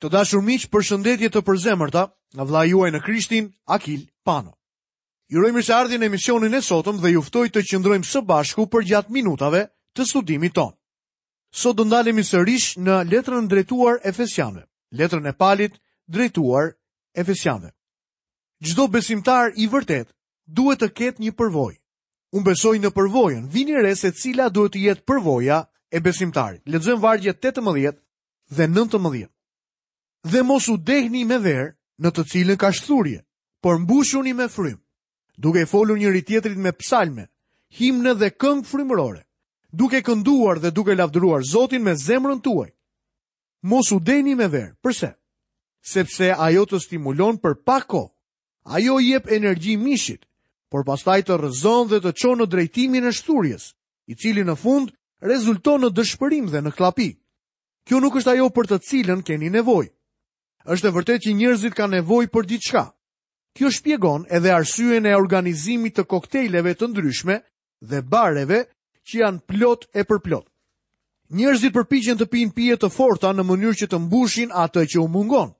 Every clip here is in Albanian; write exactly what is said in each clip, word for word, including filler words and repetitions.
Të dashur miq, përshëndetje të përzemërta nga vëllai juaj në Krishtin, Akil Pano. Ju uroj mirëseardhjen në emisionin e sotëm dhe ju ftoj të qëndrojmë së bashku përgjatë minutave të studimit tonë. Sot do ndalemi sërish në letrën drejtuar Efesianëve, letrën e Palit drejtuar Efesianëve. Çdo besimtar i vërtet duhet të ketë një përvojë. Unë besoj në përvojën. Vini re se cila duhet të jetë përvoja e besimtarit. Lexojmë vargjet tetëmbëdhjetë dhe nëntëmbëdhjetë. Dhe mos u dehni me verë në të cilën ka shthurje, por mbushuni me frymë, duke i folur njëri tjetrit me psalme, himne dhe këngë frymërore, duke kënduar dhe duke lavdëruar Zotin me zemrën tuaj. Mos u dehni me verë. Përse? Sepse ajo të stimulon për pak kohë. Ajo i jep energji mishit, por pastaj të rrëzon dhe të çon në drejtimin e shthurjes, i cili në fund rezulton në dëshpërim dhe në kllapi. Kjo nuk është ajo për të cilën keni nevojë. Është e vërtetë që njerëzit kanë nevojë për diçka. Kjo shpjegon edhe arsyen e organizimit të koktejleve të ndryshme dhe bareve që janë plot e përplot. Njerëzit përpiqen të pinë pije të forta në mënyrë që të mbushin atë që u mungon.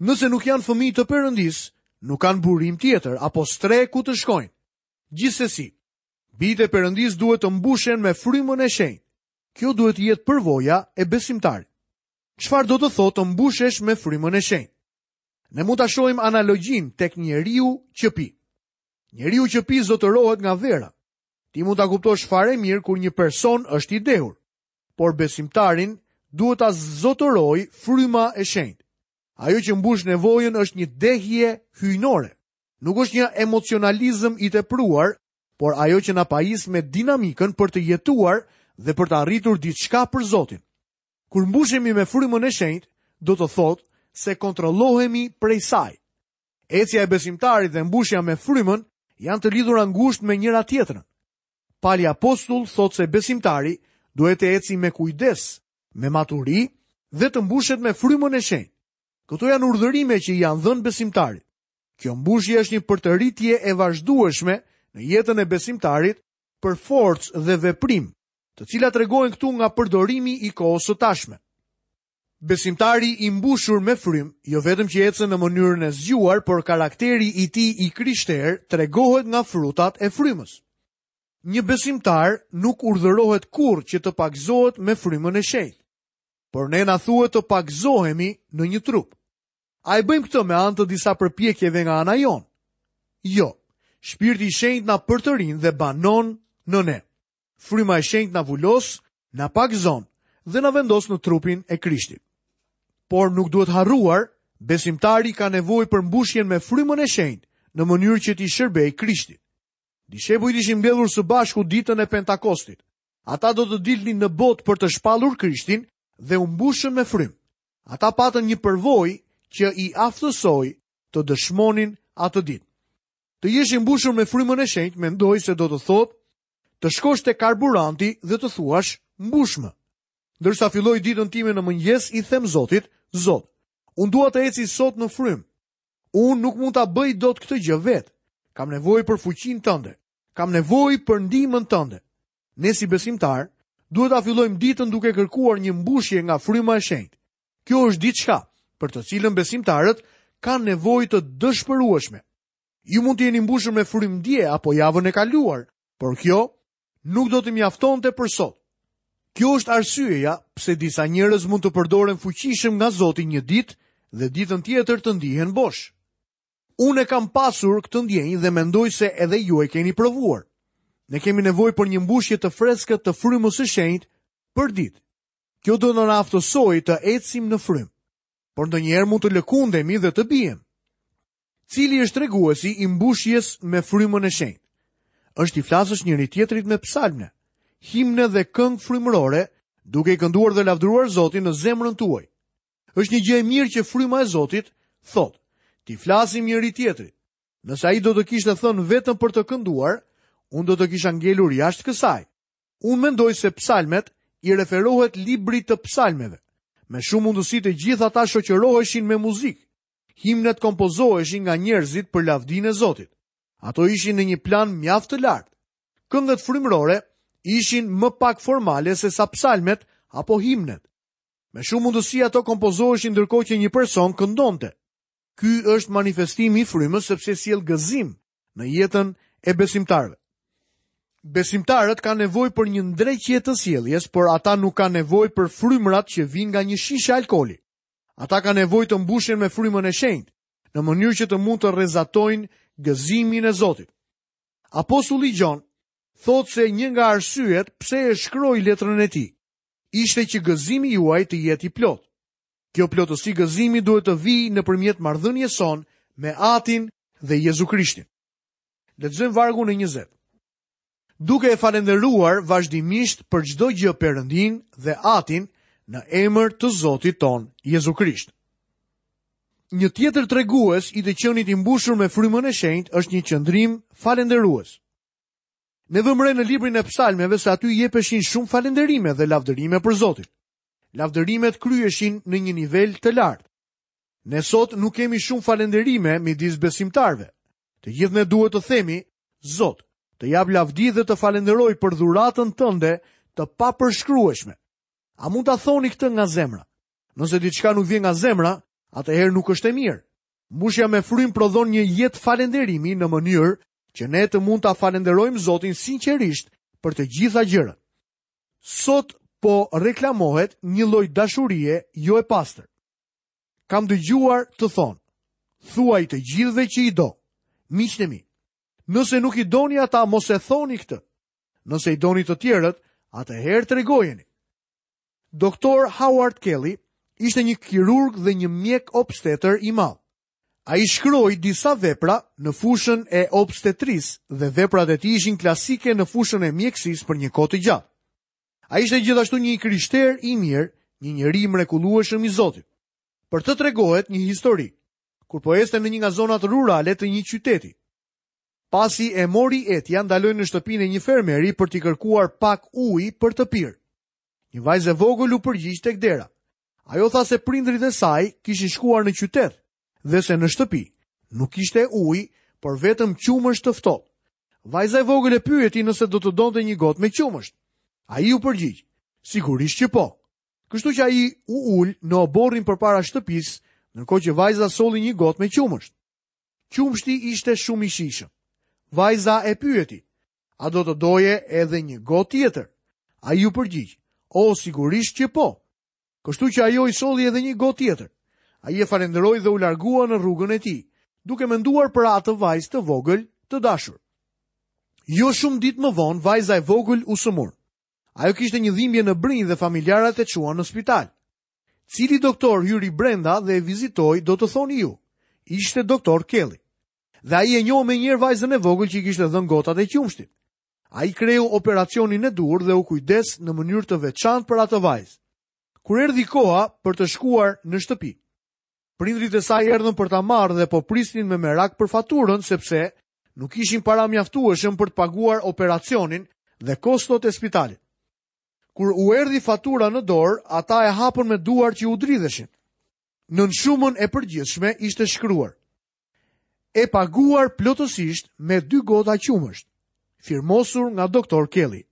Nëse nuk janë fëmijë të Perëndisë, nuk kanë burim tjetër apo strehë ku të shkojnë. Gjithsesi, bijtë e Perëndisë duhet të mbushen me frymën e shenjtë. Kjo duhet të jetë përvoja e besimtarit. Çfarë do të thotë të mbushesh me frymën e shenjtë? Ne mund ta shohim analogjinë tek njeriu që pi. Njeriu që pi zotërohet nga vera. Ti mund ta kuptosh fare mirë kur një person është i dehur, por besimtarin duhet ta zotërojë fryma e shenjtë. Ajo që mbush nevojën është një dehje hyjnore. Nuk është një emocionalizëm i tepruar, por ajo që na pajis me dinamikën për të jetuar dhe për të arritur diçka për Zotin. Kur mbushemi me frymën e shenjtë, do të thotë se kontrollohemi prej saj. Ecja e besimtarit dhe mbushja me frymën janë të lidhura ngushtë me njëra tjetrën. Pali apostull thotë se besimtari duhet të eci me kujdes, me maturi dhe të mbushet me frymën e shenjtë. Këto janë urdhërime që i janë dhënë besimtarit. Kjo mbushje është një përtëritje e vazhdueshme në jetën e besimtarit për forcë dhe veprim, të cilat tregohen këtu nga përdorimi i kohës së tashme. Besimtari i mbushur me frymë, jo vetëm që ecën në mënyrën e zgjuar, por karakteri i tij i krishterë tregohet nga frutat e frymës. Një besimtar nuk urdhërohet kurrë që të pagëzohet me frymën e shenjtë, por ne na thuhet të pagëzohemi në një trup. A e bëjmë këtë me anë të disa përpjekjeve nga ana jonë? Jo, Shpirti i Shenjtë na përtërin dhe banon në ne. Fryma e Shenjtë na vulos, na pagëzon dhe na vendos në trupin e Krishtit. Por nuk duhet harruar, besimtari ka nevojë për mbushjen me frymën e shenjtë në mënyrë që t'i shërbejë Krishtit. Dishepujt ishin mbledhur së bashku ditën e Pentakostit. Ata do të dilnin në botë për të shpallur Krishtin dhe u mbushën me frymë. Ata patën një përvojë që i aftësoi të dëshmonin atë ditë. Të jesh i mbushur me frymën e shenjtë, mendoj se do të thotë të shkosh te karburanti dhe të thuash mbushmë. Ndërsa filloj ditën time në mëngjes, i them Zotit, Zot, unë dua të eci sot në frymë. Unë nuk mund ta bëj dot këtë gjë vetë. Kam nevojë për fuqinë tënde. Kam nevojë për ndihmën tënde. Ne si besimtar duhet ta fillojmë ditën duke kërkuar një mbushje nga fryma e shenjtë. Kjo është diçka për të cilën besimtarët kanë nevojë të dëshpërueshme. Ju mund të jeni mbushur me frymë dje apo javën e kaluar, por kjo nuk do të mjaftonte për sot. Kjo është arsyeja pse disa njerëz mund të përdoren fuqishëm nga Zoti një ditë dhe ditën tjetër të ndihen bosh. Unë e kam pasur këtë ndjenjë dhe mendoj se edhe ju e keni provuar. Ne kemi nevojë për një mbushje të freskët të frymës së shenjtë për ditë. Kjo do të na aftësojë të ecim në frymë, por ndonjëherë mund të lëkundemi dhe të biem. Cili është treguesi i mbushjes me frymën e shenjtë? Është i flasësh njëri tjetrit me psalme, himne dhe këngë frymërore, duke i kënduar dhe lavdëruar Zotin në zemrën tuaj. Është një gjë e mirë që fryma e Zotit thotë, ti flasim njëri tjetrit. Nëse ai do të kishte thënë vetëm për të kënduar, unë do të kisha ngelur jashtë kësaj. Unë mendoj se psalmet i referohet librit të psalmeve. Me shumë mundësi të gjithë ata shoqëroheshin me muzikë. Himnet kompozoheshin nga njerëzit për lavdinë e Zotit. Ato ishin në një plan mjaft të lartë. Këngët frymërore ishin më pak formale se sa psalmet apo himnet. Me shumë mundësi ato kompozoheshin ndërkohë që një person këndonte. Ky është manifestimi i frymës sepse sjell gëzim në jetën e besimtarëve. Besimtarët kanë nevojë për një ndreqje të sjelljes, por ata nuk kanë nevojë për frymërat që vijnë nga një shishe alkooli. Ata kanë nevojë të mbushen me frymën e shenjtë, në mënyrë që të mund të rrezatojnë gëzimin e Zotit. Apostulli Gjon thotë se një nga arsyet pse e shkroi letrën e tij ishte që gëzimi juaj të jetë i plotë. Kjo plotësi gëzimi duhet të vijë nëpërmjet marrëdhënies sonë me Atin dhe Jezu Krishtin. Lexojmë vargun e njëzet. Duke e falendëruar vazhdimisht për çdo gjë Perëndin dhe Atin në emër të Zotit ton, Jezu Krisht. Një tjetër tregues i të qenit i mbushur me frymën e shenjtë është një qëndrim falendërues. Ne vëmë re në librin e psalmeve se aty jepeshin shumë falënderime dhe lavdërime për Zotin. Lavdërimet kryeshin në një nivel të lartë. Ne sot nuk kemi shumë falënderime midis besimtarëve. Të gjithë ne duhet të themi, Zot, të jap lavdi dhe të falënderoj për dhuratën tënde të papërshkrueshme. A mund ta thoni këtë nga zemra? Nëse diçka nuk vjen nga zemra, atëherë nuk është e mirë. Mbushja me frymë prodhon një jetë falënderimi në mënyrë që ne të mund ta falënderojmë Zotin sinqerisht për të gjitha gjërat. Sot po reklamohet një lloj dashurie jo e pastër. Kam dëgjuar të thonë, thuaj të gjithëve që i do, miqtë e mi. Nëse nuk i doni ata, mos e thoni këtë. Nëse i doni të tjerët, atëherë tregojeni. Doktor Howard Kelly ishte një kirurg dhe një mjek obstetër i madh. Ai shkroi disa vepra në fushën e obstetrisë dhe veprat e tij ishin klasike në fushën e mjekësisë për një kohë të gjatë. Ai ishte gjithashtu një krishter i mirë, një njeri i mrekullueshëm i Zotit. Për të tregohet një histori, kur po ecte në një nga zonat rurale të një qyteti. Pasi e mori etja, ndaloi në shtëpinë e një fermeri për t'i kërkuar pak ujë për të pirë. Një vajzë e vogël u përgjigj tek dera. Ajo tha se prindrit e saj kishin shkuar në qytet dhe se në shtëpi nuk kishte ujë, por vetëm qumësht të ftohtë. Vajza e vogël e pyeti nëse do të donte një gotë me qumësht. Ai u përgjigj, sigurisht që po. Kështu që ai u ul në oborrin përpara shtëpisë, ndërkohë që vajza solli një gotë me qumësht. Qumështi ishte shumë i shijshëm. Vajza e pyeti, a do të doje edhe një gotë tjetër? Ai u përgjigj, o, sigurisht që po. Kështu që ajo i solli edhe një gotë tjetër. Ai e falënderoi dhe u largua në rrugën e tij, duke menduar për atë vajzë të vogël të dashur. Jo shumë ditë më vonë, vajza e vogël u sëmur. Ajo kishte një dhimbje në brinjë dhe familjarët e çuan në spital. Cili doktor hyri brenda dhe e vizitoi, do të thoni ju? Ishte doktor Kelly. Dhe ai e njohu menjëherë vajzën e vogël që i kishte dhënë gotat e qumështit. Ai kreu operacionin e duhur dhe u kujdes në mënyrë të veçantë për atë vajzë. Kur erdhi koha për të shkuar në shtëpi, prindrit e saj erdhën për ta marrë dhe po prisnin me merak për faturën sepse nuk ishin para mjaftueshëm për të paguar operacionin dhe kostot e spitalit. Kur u erdhi fatura në dorë, ata e hapën me duar që u dridheshin. Nën shumën e përgjithshme ishte shkruar: e paguar plotësisht me dy gota qumësht, firmosur nga doktor Kelly.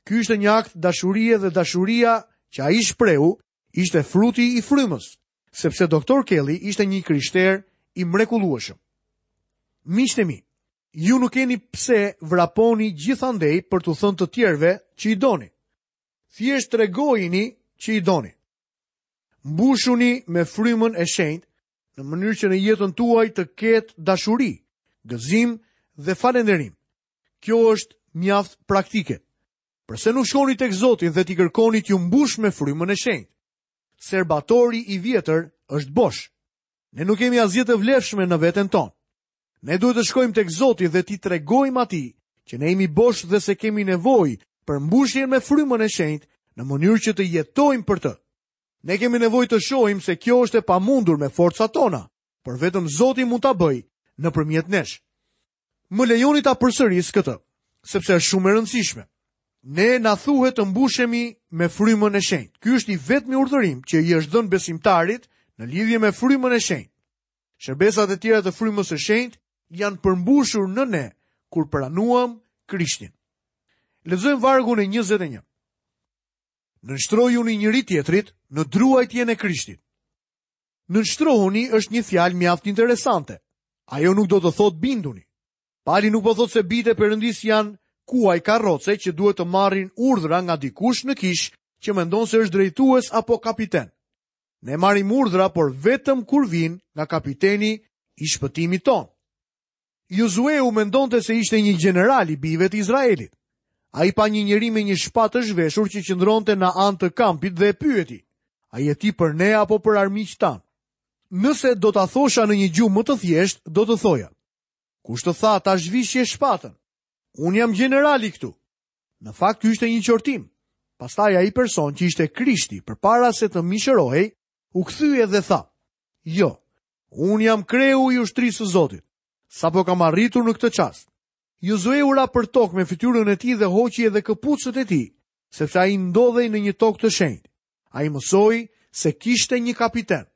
Ky ishte një akt dashurie dhe dashuria që ai shprehu ishte fruti i frymës, sepse doktor Kelly ishte një krishter i mrekullueshëm. Miqtë e mi, ju nuk keni pse vraponi gjithandej për t'u thënë të tjerëve që i doni. Thjesht tregojini që i doni. Mbushuni me frymën e shenjtë në mënyrë që në jetën tuaj të ketë dashuri, gëzim dhe falënderim. Kjo është mjaft praktike. Përse nuk shkoni tek Zoti dhe t'i kërkoni t'ju mbush me frymën e shenjtë? Serbatori i vjetër është bosh. Ne nuk kemi asgjë të vlefshme në veten tonë. Ne duhet të shkojmë tek Zoti dhe t'i tregojmë atij që ne jemi bosh dhe se kemi nevojë për mbushjen me frymën e shenjtë në mënyrë që të jetojmë për të. Ne kemi nevojë të shohim se kjo është e pamundur me forcat tona, por vetëm Zoti mund ta bëjë nëpërmjet nesh. Më lejoni ta përsëris këtë, sepse është shumë e rëndësishme. Ne na thuhet të mbushemi me frymën e shenjtë. Ky është i vetmi urdhërim që i është dhënë besimtarit në lidhje me frymën e shenjtë. Shërbesat e tjera të frymës së shenjtë janë përmbushur në ne kur pranuam Krishtin. Lexojmë vargun e njëzet e një. Nënshtrojuni njëri tjetrit në druajtjen e Krishtit. Nënshtrohuni është një fjalë mjaft interesante. Ajo nuk do të thotë binduni. Pali nuk po thotë se bijtë e Perëndisë janë kuaj karroce që duhet të marrin urdhra nga dikush në kishë që mendon se është drejtues apo kapiten. Ne marrim urdhra, por vetëm kur vijnë nga kapiteni i shpëtimit tonë. Jozueu mendonte se ishte një gjeneral i bijve të Izraelit. Ai pa një njeri me një shpatë të zhveshur që qëndronte në anë të kampit dhe e pyeti: "A je ti për ne apo për armiqtë tanë?" Nëse do ta thosha në një gjuhë më të thjeshtë, do të thoja: "Kush të tha ta zhvishje shpatën? Unë jam gjenerali këtu." Në fakt ky ishte një qortim. Pastaj ai person që ishte Krishti përpara se të mishërohej, u kthye dhe tha: "Jo, unë jam kreu i ushtrisë së Zotit. Sapo kam arritur në këtë çast." Jozueu ra për tokë me fytyrën e tij dhe hoqi edhe këpucët e tij, sepse ai ndodhej në një tokë të shenjtë. Ai mësoi se kishte një kapiten.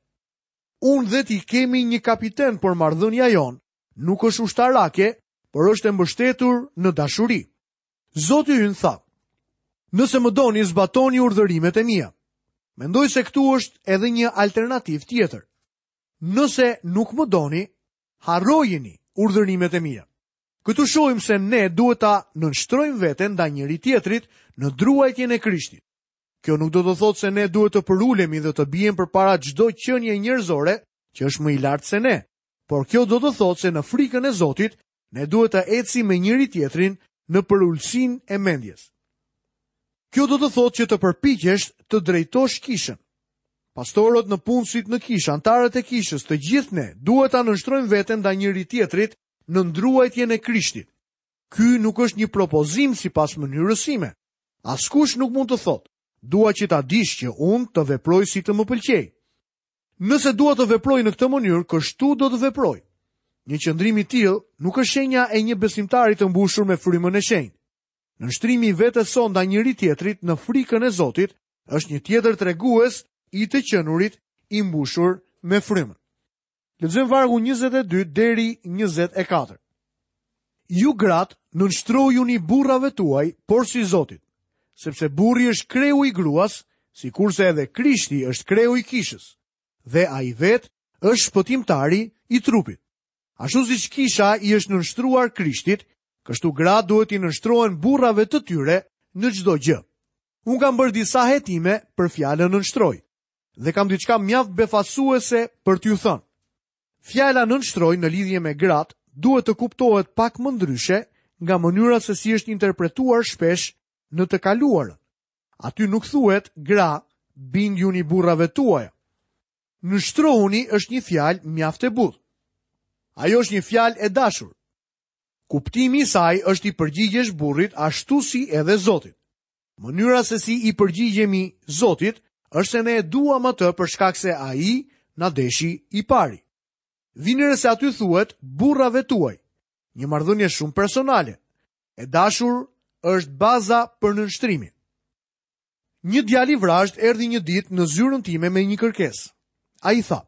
Unë dhe ti kemi një kapiten, por marrëdhënia jonë nuk është ushtarake, por është e mbështetur në dashuri. Zoti ynë tha: "Nëse më doni, zbatoni urdhërimet e mia." Mendoj se këtu është edhe një alternativë tjetër. Nëse nuk më doni, harrojeni urdhërimet e mia. Këtu shohim se ne duhet ta nënshtrojmë veten ndaj njëri tjetrit në druajtjen e Krishtit. Kjo nuk do të thotë se ne duhet të përulemi dhe të biem përpara çdo qenie njerëzore që është më i lartë se ne, por kjo do të thotë se në frikën e Zotit ne duhet të ecim me njëri tjetrin në përulësinë e mendjes. Kjo do të thotë që të përpiqesh të drejtosh kishën. Pastorët, në punësit në kishë, antarët e kishës, të gjithë ne duhet ta nënshtrojmë veten ndaj njëri tjetrit në ndruajtjen e Krishtit. Ky nuk është një propozim sipas mënyrës sime. Askush nuk mund të thotë: "Dua që ta dish që unë të veproj si të më pëlqej." Nëse dua të veproj në këtë mënyrë, kështu do të veproj. Një qëndrim i tillë nuk është shenja e një besimtari të mbushur me frymën e shenjtë. Nënshtrimi i vetes sonë ndaj njëri tjetrit në frikën e Zotit është një tjetër tregues i të qenurit i mbushur me frymën. Lexojmë vargun njëzet e dy deri njëzet e katër. Ju gratë, nënshtrojuni burrave tuaj, por si Zotit, sepse burri është kreu i gruas, sikurse edhe Krishti është kreu i kishës, dhe ai vetë është shpëtimtari i trupit. Ashtu siç kisha i është nënshtruar Krishtit, kështu gratë duhet t'i nënshtrohen burrave të tyre në çdo gjë. Unë kam bërë disa hetime për fjalën nënshtroj dhe kam diçka mjaft befasuese për t'ju thënë. Fjala nënshtroj në lidhje me gratë duhet të kuptohet pak më ndryshe nga mënyra se si është interpretuar shpesh në të kaluarën. Aty nuk thuhet gra, bindjuni burrave tuaja. Nënshtrohuni është një fjalë mjaft e butë. Ajo është një fjalë e dashur. Kuptimi i saj është i përgjigjesh burrit ashtu si edhe Zotit. Mënyra se si i përgjigjemi Zotit është se ne e duam atë për shkak se ai na deshi i pari. Vini re se aty thuhet burrave tuaj, një marrëdhënie shumë personale. E dashur është baza për nënshtrimin. Një djalë i vrazhd erdhi një ditë në zyrën time me një kërkesë. Ai tha: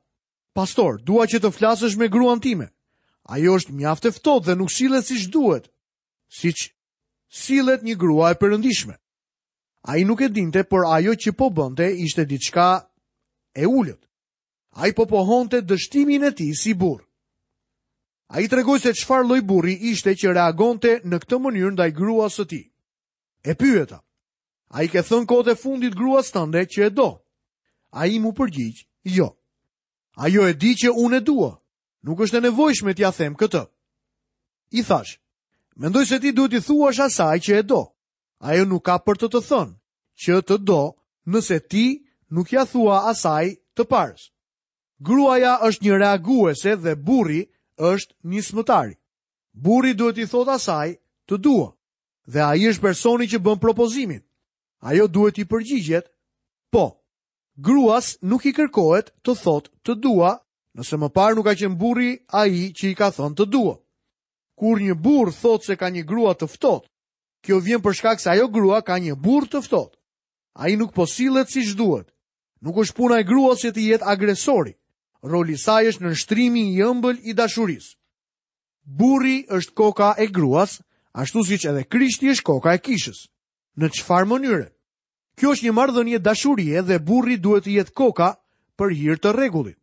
"Pastor, dua që të flasësh me gruan time. Ajo është mjaft e ftohtë dhe nuk sillet siç duhet, siç sillet një grua e perëndishme." Ai nuk e dinte, por ajo që po bënte ishte diçka e ulët. Ai po pohonte dështimin e tij si burr. Ai tregoi se çfarë lloj burri ishte që reagonte në këtë mënyrë ndaj gruas së tij. E pyeta: "A i ke thënë kohët e fundit gruas tënde që e do?" Ai mu përgjigj: "Jo. Ajo e di që unë e dua. Nuk është e nevojshme t'ia them këtë." I thash: "Mendoj se ti duhet t'i thuash asaj që e do. Ajo nuk ka për të të thënë që të do nëse ti nuk ja thua asaj të parës." Gruaja është një reaguese dhe burri është nismëtari. Burri duhet t'i thotë asaj të dua, dhe ai është personi që bën propozimin. Ajo duhet t'i përgjigjet po. Gruas nuk i kërkohet të thotë të dua, nëse më parë nuk ka qenë burri ai që i ka thënë të dua. Kur një burr thotë se ka një grua të ftohtë, kjo vjen për shkak se ajo grua ka një burr të ftohtë. Ai nuk po sillet siç duhet. Nuk është puna e gruas që të jetë agresori. Roli i saj është nënshtrimi i ëmbël i dashurisë. Burri është koka e gruas, ashtu siç edhe Krishti është koka e kishës. Në çfarë mënyre? Kjo është një marrëdhënie dashurie dhe burri duhet të jetë koka për hir të rregullit.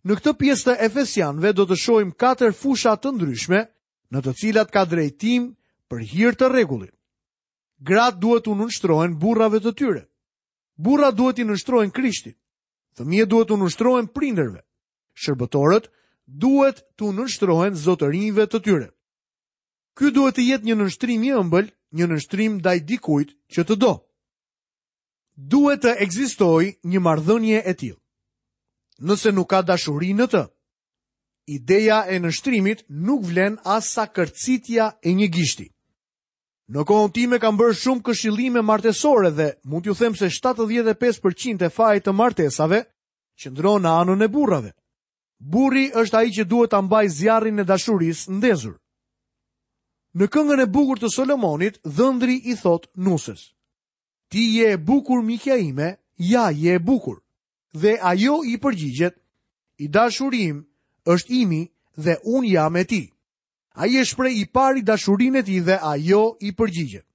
Në këtë pjesë të Efesianëve do të shohim katër fusha të ndryshme në të cilat ka drejtim për hir të rregullit. Gratë duhet t'u nënshtrohen burrave të tyre. Burrat duhet t'i nënshtrohen Krishtit. Fëmijët duhet t'u nënshtrohen prindërve. Shërbëtorët duhet t'u nënshtrohen zotërinjve të tyre. Ky duhet të jetë një nënshtrim i ëmbël, një nënshtrim ndaj dikujt që të do. Duhet të ekzistojë një marrëdhënie e tillë. Nëse nuk ka dashuri në të, ideja e nënshtrimit nuk vlen as sa kërcitja e një gishti. Në kohën time kam bërë shumë këshillime martesore dhe mund t'ju them se shtatëdhjetë e pesë përqind e fajit të martesave qëndron në anën e burrave. Burri është ai që duhet ta mbajë zjarrin e dashurisë ndezur. Në këngën e bukur të Solomonit, dhëndri i thot nuses: Ti je e bukur, mikja ime, ja je e bukur. Dhe ajo i përgjigjet: I dashuri im është imi dhe unë jam e tij. Ai e shpreh i pari dashurinë e tij dhe ajo i përgjigjet.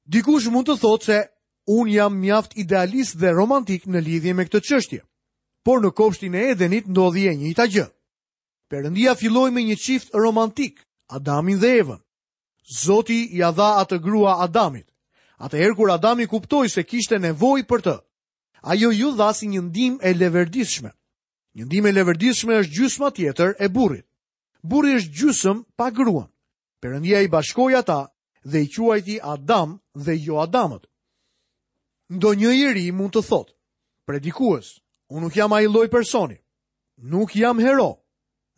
Dikush mund të thotë se unë jam mjaft idealist dhe romantik në lidhje me këtë çështje. Por në kopshtin e Edenit ndodhi e njëjta gjë. Perëndia filloi me një çift romantik, Adamin dhe Evën. Zoti ia dha atë grua Adamit. Atëherë kur Adami kuptoi se kishte nevojë për të, ajo ju dha si një ndihmë e leverdishme. Një ndihmë e leverdishme është gjysma tjetër e burrit. Burri është gjysëm pa gruan. Perëndia i bashkoi ata dhe i quajti Adam dhe jo Adamët. Ndonjë i ri mund të thotë: Predikues, unë nuk jam ai lloj personi. Nuk jam hero.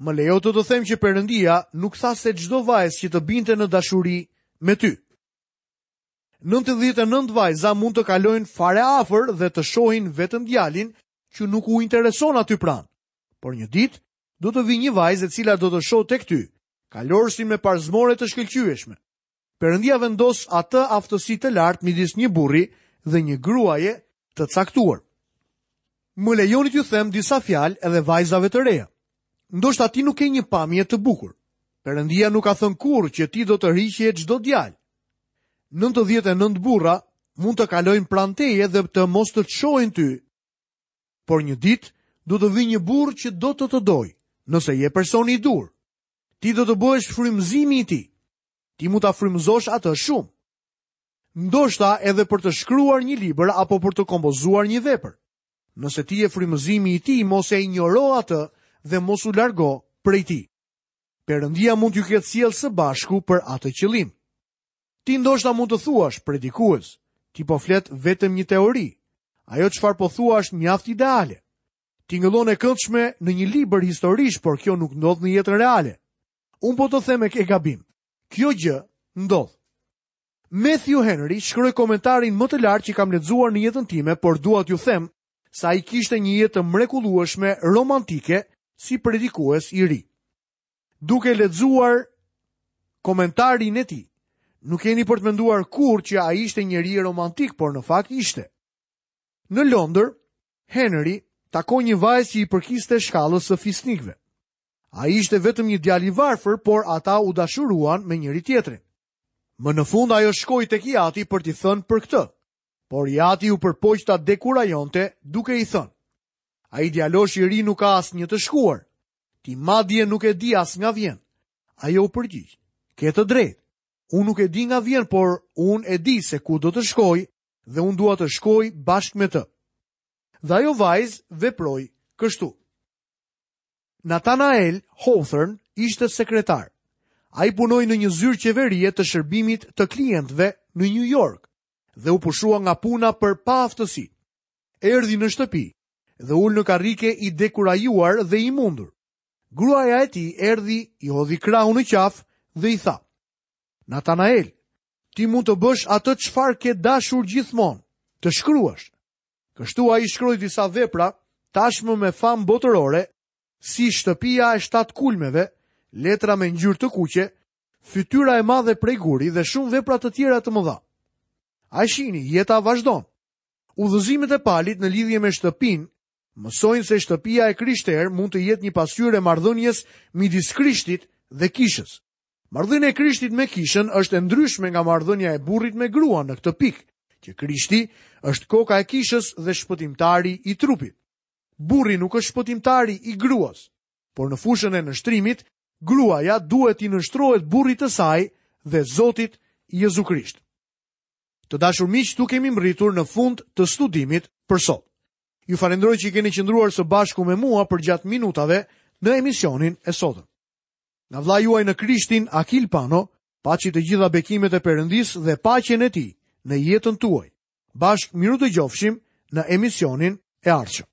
Më lejo të të them që Perëndia nuk tha se çdo vajzë që të binte në dashuri me ty. Nëntëdhjetë e nëntë vajza mund të kalojnë fare afër dhe të shohin vetëm djalin që nuk u intereson aty pranë. Por një ditë do të vijë një vajzë e cila do të shohë tek ty, kalorësin me parzmore të shkëlqyeshme. Perëndia vendos atë aftësi të lartë midis një burri dhe një gruaje të caktuar. Më lejoni t'ju them disa fjalë edhe vajzave të reja. Ndoshta ti nuk ke një pamje të bukur. Perëndia nuk ka thënë kurrë që ti do të rriqje çdo djalë. Nëntëdhjetë e nëntë burra mund të kalojnë pranë teje dhe të mos të të shohin ty. Por një ditë do të vijë një burrë që do të të dojë, nëse je personi i dur. Ti do të bëhesh frymëzimi i tij. Ti mund ta frymëzosh atë shumë. Ndoshta edhe për të shkruar një libër apo për të kompozuar një vepër. Nëse ti je frymëzimi i tij, mos e injoro atë dhe mos u largo prej tij. Perëndia mund t'ju ketë sjellë së bashku për atë qëllim. Ti ndoshta mund të thuash, predikues, ti po flet vetëm një teori. Ajo çfarë po thua është mjaft ideale. Tingëllon e këndshme në një libër historish, por kjo nuk ndodh në jetën reale. Unë po të them e ke gabim. Kjo gjë ndodh. Matthew Henry shkroi komentarin më të lartë që kam lexuar në jetën time, por dua t'ju them se ai kishte një jetë të mrekullueshme romantike si predikues i ri. Duke lexuar komentarin e tij, nuk keni për të menduar kurrë që ai ishte njeri romantik, por në fakt ishte. Në Londër, Henry takoi një vajzë që i përkiste shkallës së fisnikëve. Ai ishte vetëm një djalë i varfër, por ata u dashuruan me njëri tjetrin. Më në fund ajo shkoi tek i ati për t'i thënë për këtë, por i ati u përpoq ta dekurajonte duke i thënë: Ai djalosh i ri nuk ka asnjë të shkuar. Ti madje nuk e di as nga vjen. Ajo u përgjigj: Ke të drejtë. Unë nuk e di nga vjen, por unë e di se ku do të shkoj dhe unë dua të shkoj bashkë me të. Dhe ajo vajzë veproi kështu. Nathanael Hawthorne ishte sekretar. Ai punoi në një zyrë qeverie të shërbimit të klientëve në New York dhe u pushua nga puna për paaftësi. Erdhi në shtëpi dhe ul në karrike i dekurajuar dhe i mundur. Gruaja e tij erdhi, i hodhi krahun në qafë dhe i tha: Nathanael, ti mund të bësh atë çfarë ke dashur gjithmonë, të shkruash. Kështu ai shkroi disa vepra tashmë me famë botërore, si Shtëpia e shtatë kulmeve, Letra me ngjyrë të kuqe, Fytyra e madhe prej guri dhe shumë vepra të tjera të mëdha. A shihni, jeta vazhdon. Udhëzimet e Palit në lidhje me shtëpinë mësojnë se shtëpia e krishterë mund të jetë një pasqyrë e marrëdhënies midis Krishtit dhe kishës. Marrëdhënia e Krishtit me kishën është e ndryshme nga marrëdhënia e burrit me gruan në këtë pikë, që Krishti është koka e kishës dhe shpëtimtari i trupit. Burri nuk është shpëtimtari i gruas, por në fushën e nënshtrimit, gruaja duhet t'i nënshtrohet burrit të saj dhe Zotit Jezu Krisht. Të dashur miq, këtu kemi mbërritur në fund të studimit për sot. Ju falenderoj që keni qëndruar së bashku me mua përgjatë minutave në emisionin e sotëm. Nga vëllai juaj në Krishtin, Akil Pano, paçi të gjitha bekimet e Perëndisë dhe paqen e tij në jetën tuaj. Bashkë mirudëgjofshim në emisionin e ardhshëm.